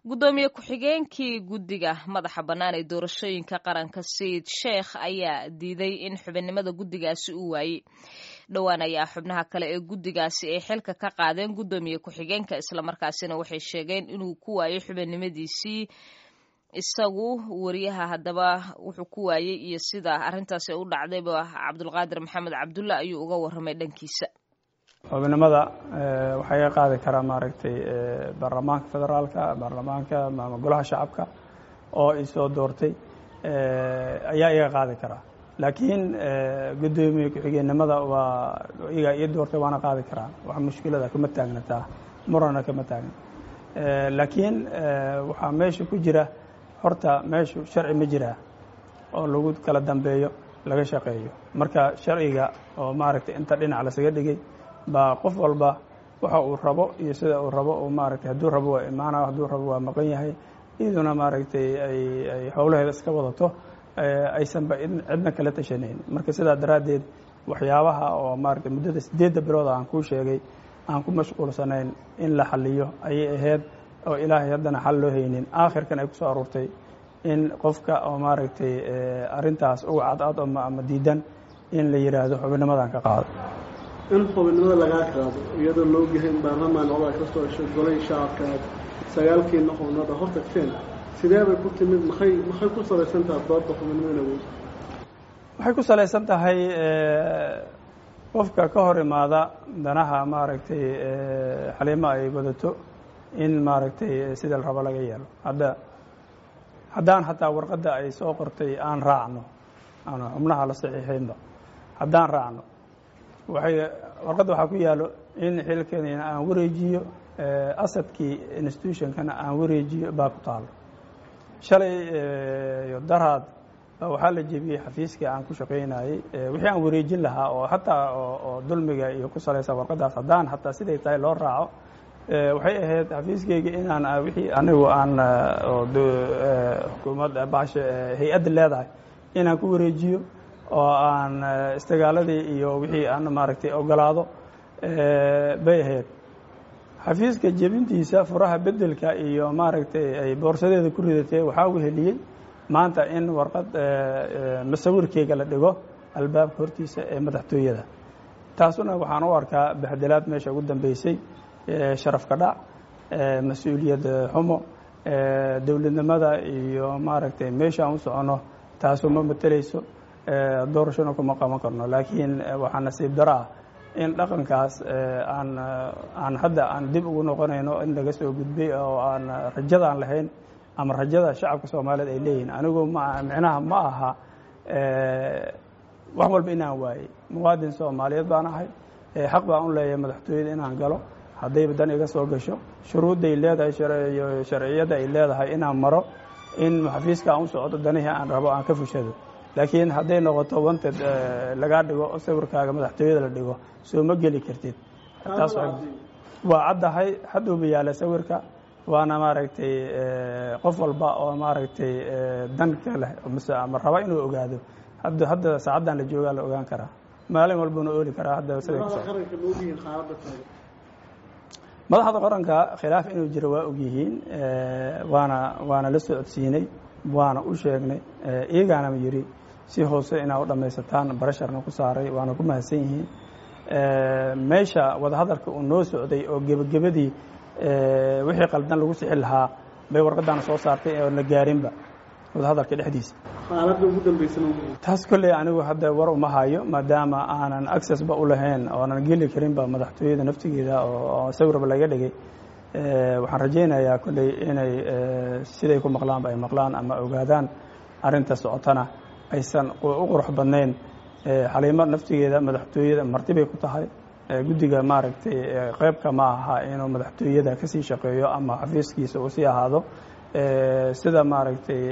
Gudoomiye ku-xigeenkii guddiga madaxa bannaan ee doorashooyinka qaranka Sayid Sheekh ayaa diiday in xubinnimada guddigaasi uu waayey. Dhowaan ayaa xubnaha kale ee guddigaasi ay xilka ka qaadeen gudoomiye ku-xigeenka, islamarkaasina waxay sheegeen inuu ku waayey xubinnimadiisii isagu wariyaha. Haddaba wuxuu ku waayey iyo sida arrintaasi u dhacdayba Cabdulqaadir Maxamed Cabdulla ayuu uga warramay dhankiisa. Xubinimada waxaa iga qaadi karaa maaragtay baarlamaanka federaalka, baarlamaanka ama golaha shacabka oo isoo doortay ayaa iga qaadi karaa, laakiin guddoomiye ku-xigeenimada waa iyagaa ii doortay, waana qaadi karaa. Wax mushkilada kama taagnataa, murana kama taagna, laakiin waxaa meesha ku jira horta meeshu sharci ma jiraa oo lagu kala dambeeyo laga shaqeeyo. Marka sharciga oo maaragtay inta dhinac lasaga dhigay baa qof walba waxa uu rabo iyo sida uu rabo uu maaragtay, hadduu rabo waa imaana, hadduu rabo waa maqan yahay, iyaduna maaragtay ay howlaheeda iska wadato, aysanba cidna kala tashanayn. Marka sidaa daraaddeed waxyaabaha oo maaragtay muddada 8-da bilood aan kuu sheegay aan ku mashquulsanayn in la xaliyo ayay ahayd, oo ilaahay haddana xal loo haynin, aakhirkan ay ku soo aruurtay in qofka oo maaragtay arrintaas uga cadcad ama diidan in la yidhaahdo xubinimadan ka qaado. In xubinnimada lagaa qaado iyadoo la ogyahay in baarlamaan odaa ka soo heshay golay shacabka aad sagaalkiina xubnooda hor tagteen, sidee bay ku timid? Maxay ku salaysan tahay doodda xubinnimada awood? Waxay ku salaysan tahay qofka ka hor imaada danaha maaragtay Xaliimo ay wadato in maaragtay sida la rabo laga yeelo. Hadda haddaan hataa warqadda ay soo qortay aan raacno, aan xubnaha la saxiixaynba haddaan raacno, waxay warqadda waxaa ku yaalo in xilkanina aan wareejiyo, asadkii institutionkana aan wareejiyo baa ku taalo. Shalay daraad waxaa la jebiyey xafiiskii aan ku shaqaynayey, wixii aan wareejin lahaa oo hataa oo dulmiga iyo ku salaysan warqaddaas haddaan hataa siday tahay loo raaco, waxay ahayd xafiiskeyga inaan wixii anigu aan xukuumad baasha hay-adda leedahay inaan ku wareejiyo oo aan istigaaladii iyo wixii aan maaragtay ogolaado bay ahayd. Xafiiska jebintiisa, furaha bedelka iyo maaragtay ay boorsadeeda ku ridatay, waxaa weheliyey maanta in warqad masawirkeyga la dhigo albaabka hortiisa ee madaxtooyada. Taasuna waxaan u arkaa baxdelaad meesha ugu dambeysay, sharaf ka dhac, mas-uuliyad xumo dowladnimada iyo maaragtay meesha aan u soconno taasu ma mateleyso, doorashona kuma qaban karno. Laakiin waxaa nasiib daro ah in dhaqankaas aan hadda aan dib ugu noqonayno in laga soo gudbay oo aan rajada aan lahayn ama rajada shacabka Soomaaliyeed ay leeyihin. Anigu ma micnaha ma aha wax walba inaan waayey, muwaadin Soomaaliyeed baan ahay, xaq baan u leeyahay madaxtooyada inaan galo haddayba dan iga soo gasho, shuruudday leedahay, sharciyadda ay leedahay inaan maro, in xafiiska aan u socdo danihii aan rabo aan ka fushado. Laakiin hadday noqoto wanted lagaa dhigo oo sawirkaaga madaxtooyada la dhigo, soo ma geli kartid. Taas waa caddahay, hadduuba yaala sawirka, waana maaragtay qof walba oo maaragtay danka leh mise ama raba inuu ogaado hadda saacaddan la joogaa la ogaan karaa, maalin walbuna ooli karaa. Hadda siday ku madaxda qaranka khilaaf inuu jiro waa ogyihiin, waana la socodsiinay, waana u sheegnay, iyagaana yidhi si hoose inaa u dhammaysataan barasharna ku saaray, waana ku mahadsan yihiin. Meesha wadahadalka uu noo socday oo gebagabadii wixii qaldan lagu sixi lahaa bay warqaddaana soo saartay oon la gaarinba wadahadalka dhexdiisa. Taas kolley anigu hadda war uma hayo, maadaama aanan accessba u lahayn oonan geli karinba madaxtooyada naftigeeda oo sawirba laga dhigay. Waxaan rajaynayaa kolley inay siday ku maqlaanba ay maqlaan ama ogaadaan arrinta socotana aysan u qurux badnayn. Xaliimo naftigeeda madaxtooyada marti bay ku tahay, guddiga maaragtay qeybka ma aha inuu madaxtooyada kasii shaqeeyo ama xafiiskiisa uu sii ahaado. Sida maaragtay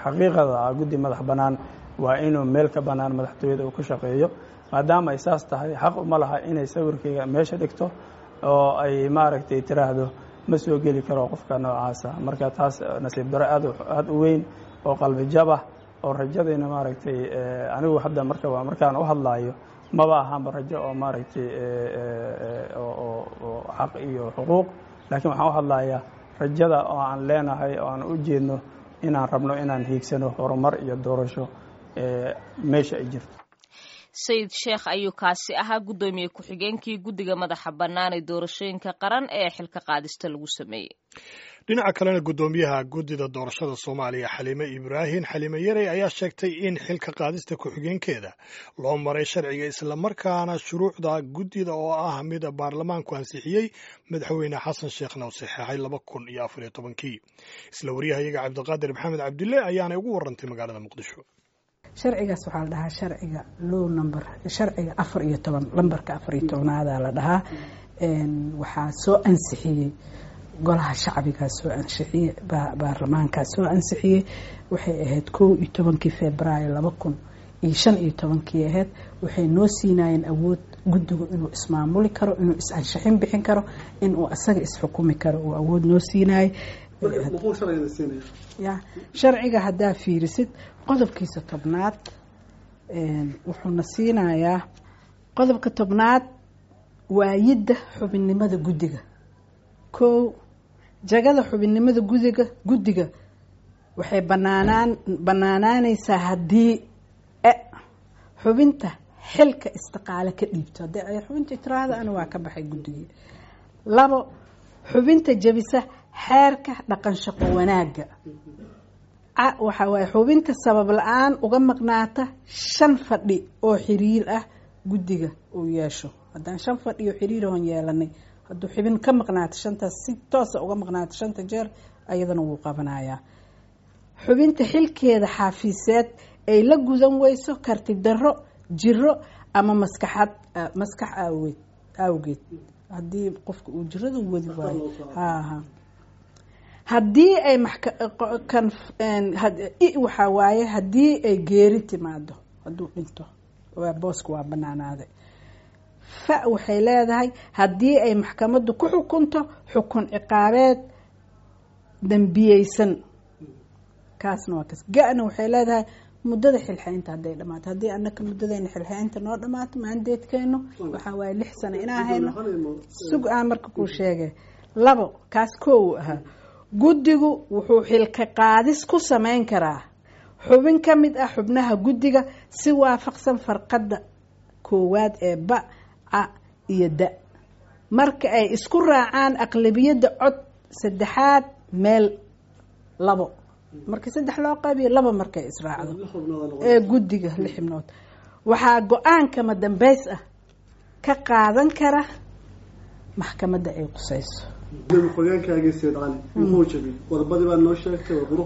xaqiiqada ah, guddi madax bannaan waa inuu meel ka bannaan madaxtooyada uu ka shaqeeyo. Maadaama ay saas tahay, xaq uma laha inay sawirkeyga meesha dhigto oo ay maaragtay tiraahdo ma soo geli karo qofka noocaasa. Marka taas nasiib daro aad aada u weyn oo qalbi jabah oo rajadayna maaragtay anigu hadda marka markaan u hadlaayo maba ahaanba rajo oo maaragtay oo xaq iyo xuquuq, laakiin waxaan u hadlayaa Rajada oo aan leenahay oo aan u jeedno inaan rabno inaan hiigsano horumar iyo doorasho meesha ay jirto. Sayid Sheekh ayuu kaasi ahaa, guddoomiye ku-xigeenkii guddiga madaxa bannaan ee doorashooyinka qaran ee xilka qaadista lagu sameeyey. Dhinaca kalena, guddoomiyaha guddida doorashada Soomaaliya, Xaliime Ibraahim Xaliime Yarey, ayaa sheegtay in xilka qaadista ku-xigeenkeeda loo maray sharciga, islamarkaana shuruucda guddida oo ah mid baarlamaanku ansixiyey, madaxweyne Xasan Sheekhna u saxeexay 2014-kii. Isla waryahayaga Cabdiqaadir Maxamed Cabdille ayaanay ugu warantay magaalada Muqdisho. Sharcigaas waxaa la dhahaa sharciga low number, sharciga 14, lambarka 14-aada la dhahaa. Waxaa soo ansixiyey golaha shacbigaa soo ansixiyey, baarlamaankaa soo ansixiyey. Waxay ahayd 11-kii Februaayo 2015-kii ahayd. Waxay noo siinayeen awood guddigu inuu ismaamuli karo, inuu is-ansixin bixin karo, inuu asaga isxukumi karo uu awood noo siinayay. Ya, sharciga haddaa fiirisid qodobkiisa 10aad, wuxuuna siinayaa qodobka 10aad waayidda xubinnimada guddiga. Kow, jagada xubinnimada guddiga waxay banaanaan banaanaaneysaa haddii xubinta xilka istiqaale ka dhiibto, haddii ay xubinta tiraahdo ana waa ka baxay guddigii. Labo, xubinta jebisa xeerka dhaqan shaqo wanaagga. Waxa waaye xubinta sabab la-aan uga maqnaata shan fadhi oo xiriir ah guddiga uu yeesho. Haddaan shan fadhi oo xiriir oon yeelanay, hadduu xubin ka maqnaato shantaas, si toosa uga maqnaato shanta jeer, ayadana wuu qabanayaa. Xubinta xilkeeda xaafiiseed ay la gudan weyso karti darro, jiro ama maskaxad maskax aaweed awgeed, haddii qofka uu jirada wadi waayo. Haha, haddii ay kan waxaa waaye haddii ay geeri timaado, hadduu dhinto, booska waa banaanaaday. Fa waxay leedahay haddii ay maxkamaddu ku xukunto xukun ciqaabeed dambiyeysan, kaasna waa kaas. Ga-na waxay leedahay muddada xilxaynta hadday dhamaato. Haddii annaka muddadayna xilxaynta noo dhamaato, maandeedkeenu waxaa waaye 6 sano inaa hayno. Sug aan marka kuu sheegay. Labo, kaas koow ahaa. Guddigu wuxuu xilka qaadis ku samayn karaa xubin ka mid ah xubnaha guddiga si waafaqsan farqadda koowaad ee ba, ca iyo da, marka ay isku raacaan aqlabiyadda cod saddexaad meel labo, markii saddex loo qaybiyo laba markay israacdo ee guddiga lix xibnood. Waxaa go-aankama dambeys ah ka qaadan kara maxkamadda ay qusayso.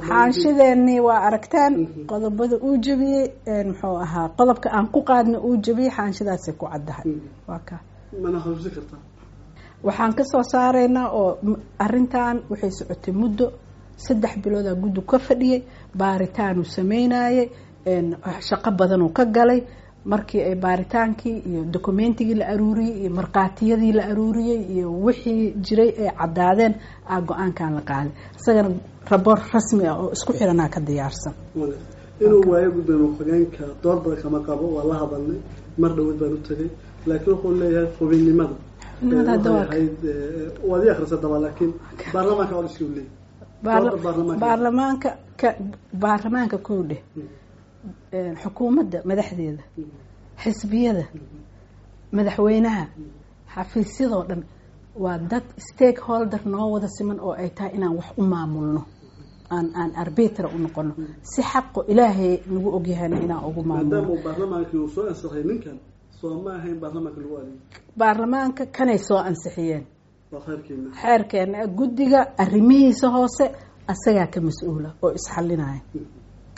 Xaanshideenii waa aragteen qodobada uu jebiyey. Muxuu ahaa qodobka aan ku qaadna uu jebiyey? Xaanshidaasay ku caddahay, waa ka. Waxaan kasoo saaraynaa oo arrintan waxay socotay muddo 3 biloodaa guddi ka fadhiyey, baaritaanuu sameynayey, shaqo badanuu ka galay. Markii ay baaritaankii iyo documentigii la aruuriyey iyo markhaatiyadii la aruuriyey iyo wixii jiray ay caddaadeen, aa go-aankan la qaaday. Isagana raboor rasmi ah oo isku xiranaa ka diyaarsan. Inuu waayo gudoomiye ku-xigeenka door badan kama qabo, waa la hadalnay, mar dhaweyd baan u tegay, laakiin wuxuu leeyahay xubinnimada ahayd waad ii akhrisa daba, laakiin baarlamaanka codsi uu leeyahay. Baarlamaanka ka baarlamaanka kow dheh, xukuumadda madaxdeeda, xisbiyada, madaxweynaha, xafiisyadoo dhan waa dad stakeholder noo wada siman oo ay tahay inaan wax u maamulno, aan arbitra u noqono si xaqo Ilaahay nagu ogyahayna inaan ugu maamulno. Maadaama baarlamaankii uu soo ansixiyay ninkan, soo ma ahayn baarlamaanka lagu adeegay? Baarlamaanka kanay soo ansixiyeen. Waa khayrkeena. Xeerkeena guddiga arrimihiisa hoose asagaa ka mas-uula oo isxalinaya.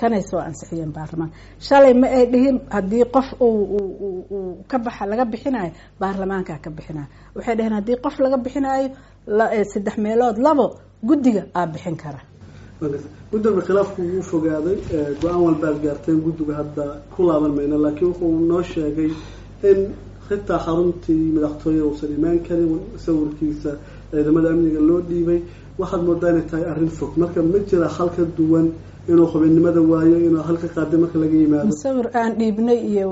Kanay soo ansixiyeen baarlamaanka shalay. Ma ay dhihin haddii qof uu ka baxa laga bixinayo baarlamaankaa ka bixinayo. Waxay dhaheen haddii qof laga bixinayo saddex meelood labo guddiga aa bixin kara. Guddiga khilaafku wuu fogaaday, go-aan walbaad gaarteen, guddiga hadda ku laaban mayno, laakiin wuxuu noo sheegay in xitaa xaruntii madaxtooyada uusan imaan karin, sawirkiisa Ciidamada amniga loo dhiibay waxaad moodaa inay tahay arrin fog. Marka ma jira xal ka duwan inuu xubinnimada waayo, inuu halka qaaday marka laga yimaado? Sawir aan dhiibnay iyo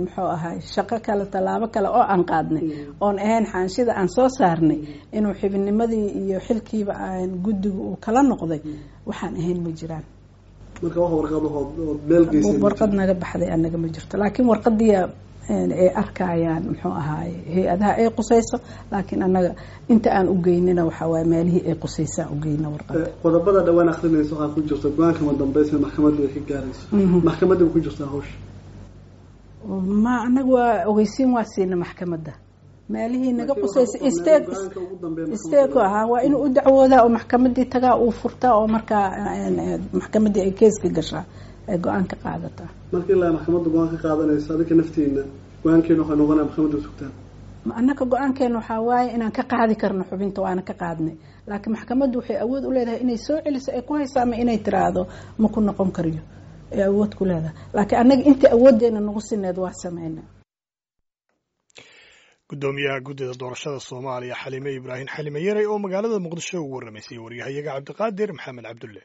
muxuu ahay shaqo kale, tallaabo kale oo aan qaadnay oon ahayn xaanshida aan soo saarnay inuu xubinnimadii iyo xilkiiba aan guddigu uu kala noqday, waxaan ahayn ma jiraan. Marka wax warqad ood meel geysay? Warqad naga baxday anaga ma jirto, laakiin warqadii ay arkayaan muxuu ahaay hay-adaha ay qusayso, laakiin anaga inta aan u geynina waxaa waaye meelihii ay qusaysaan u geyna warqada. Qodobada dhawaan akrinaysa waxaa ku jirta go-aanka madambeysa maxkamadda ay ka gaarayso. Maxkamadda ma ku jirtaa hawsha? Ma anaga waa ogeysiin, waa siina maxkamadda meelihii naga qusaysa state ahaa, waa inuu u dacwoodaa oo maxkamadii tagaa, uu furtaa oo markaa maxkamaddii ay keeska gashaa, ay go-aan ka qaadataa. Marka ilaa maxkamadda go-aan ka qaadanayso, adinka naftiina go-aankeena waxay noqonaya maxkamadda sugtaan? Annaka go-aankeena waxaa waaye inaan ka qaadi karno xubinta, waana ka qaadnay, laakiin maxkamaddu waxay awood u leedahay inay soo celiso, ay ku hayso, ama inay tiraahdo ma ku noqon kariyo, ay awood ku leedahay, laakiin annaga inta awooddeena nagu sineed waa sameyna. Gudoomiyaha guddida doorashada Soomaaliya, Xalime Ibraahim Xalime Yarey, oo magaalada Muqdisho ugu warramaysay waryahayaga Cabdiqaadir Maxamed Cabdulle.